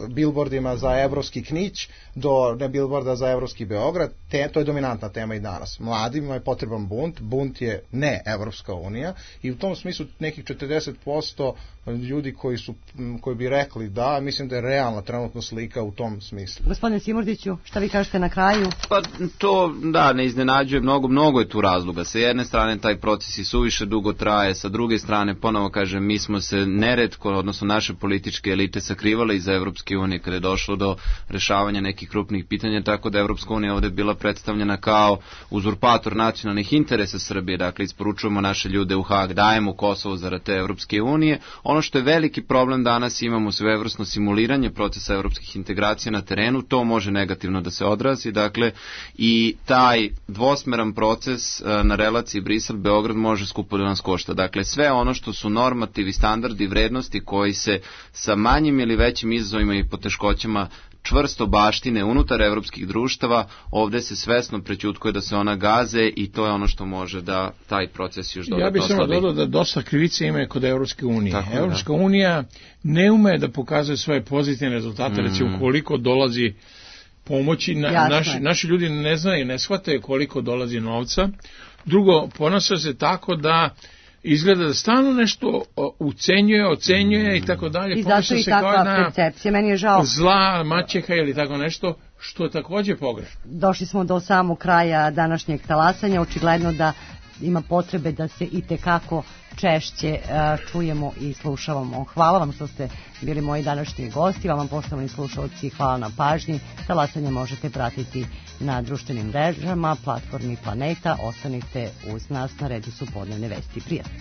bilbordima za evropski Knić do bilborda za evropski Beograd. To je dominantna tema i danas. Mladima je potreban bunt je ne Evropska unija i u tom smislu nekih 40% ljudi koji bi rekli da, mislim da je realna trenutno slika u tom smislu. Gospodine Simordiću, šta vi kažete na kraju? Pa to, da, ne iznenađuje, mnogo je tu razloga. Sa jedne strane taj proces i suviše dugo traje, sa druge strane ponovo kažem, mi smo se neretko, odnosno naše političke elite sakrivale iza Evropske unije kada je došlo do rešavanja nekih krupnih pitanja, tako da Evropska unija ovde bila predstavljena kao uzurpator nacionalnih interesa Srbije, dakle isporučujemo naše ljude u Hag, dajemo Kosovo zarad te Evropske unije. Ono što je veliki problem danas, imamo svevrsno simuliranje procesa evropskih integracija na terenu, to može negativno da se odrazi, dakle i taj dvosmeran proces na relaciji Brisel-Beograd može skupo da nas košta. Dakle, sve ono što su normativi, standardi, vrednosti koji se sa manjim ili većim izazovima i poteškoćama čvrsto baštine unutar evropskih društava, ovde se svesno prećutkuje da se ona gaze i to je ono što može da taj proces još dodatno oslabi. Ja bih samo dodao da dosta krivice ima kod Evropske unije. Evropska unija ne ume da pokazuje svoje pozitivne rezultate, recimo koliko dolazi pomoći, naši ljudi ne znaju, ne shvataju koliko dolazi novca. Drugo, ponaša se tako da izgleda da stalno nešto ocenjuje i tako dalje. I zato i takva percepcija, meni je žao. Zla maćeha ili tako nešto, što je takođe pogrešno. Došli smo do samog kraja današnjeg talasanja, očigledno da ima potrebe da se i tekako češće čujemo i slušavamo. Hvala vam što ste bili moji današnji gosti, vam poštovani slušalci, hvala na pažnji. Talasanje možete pratiti na društvenim mrežama, platformi Planeta. Ostanite uz nas, na redu su podnevne vesti. Prijatno.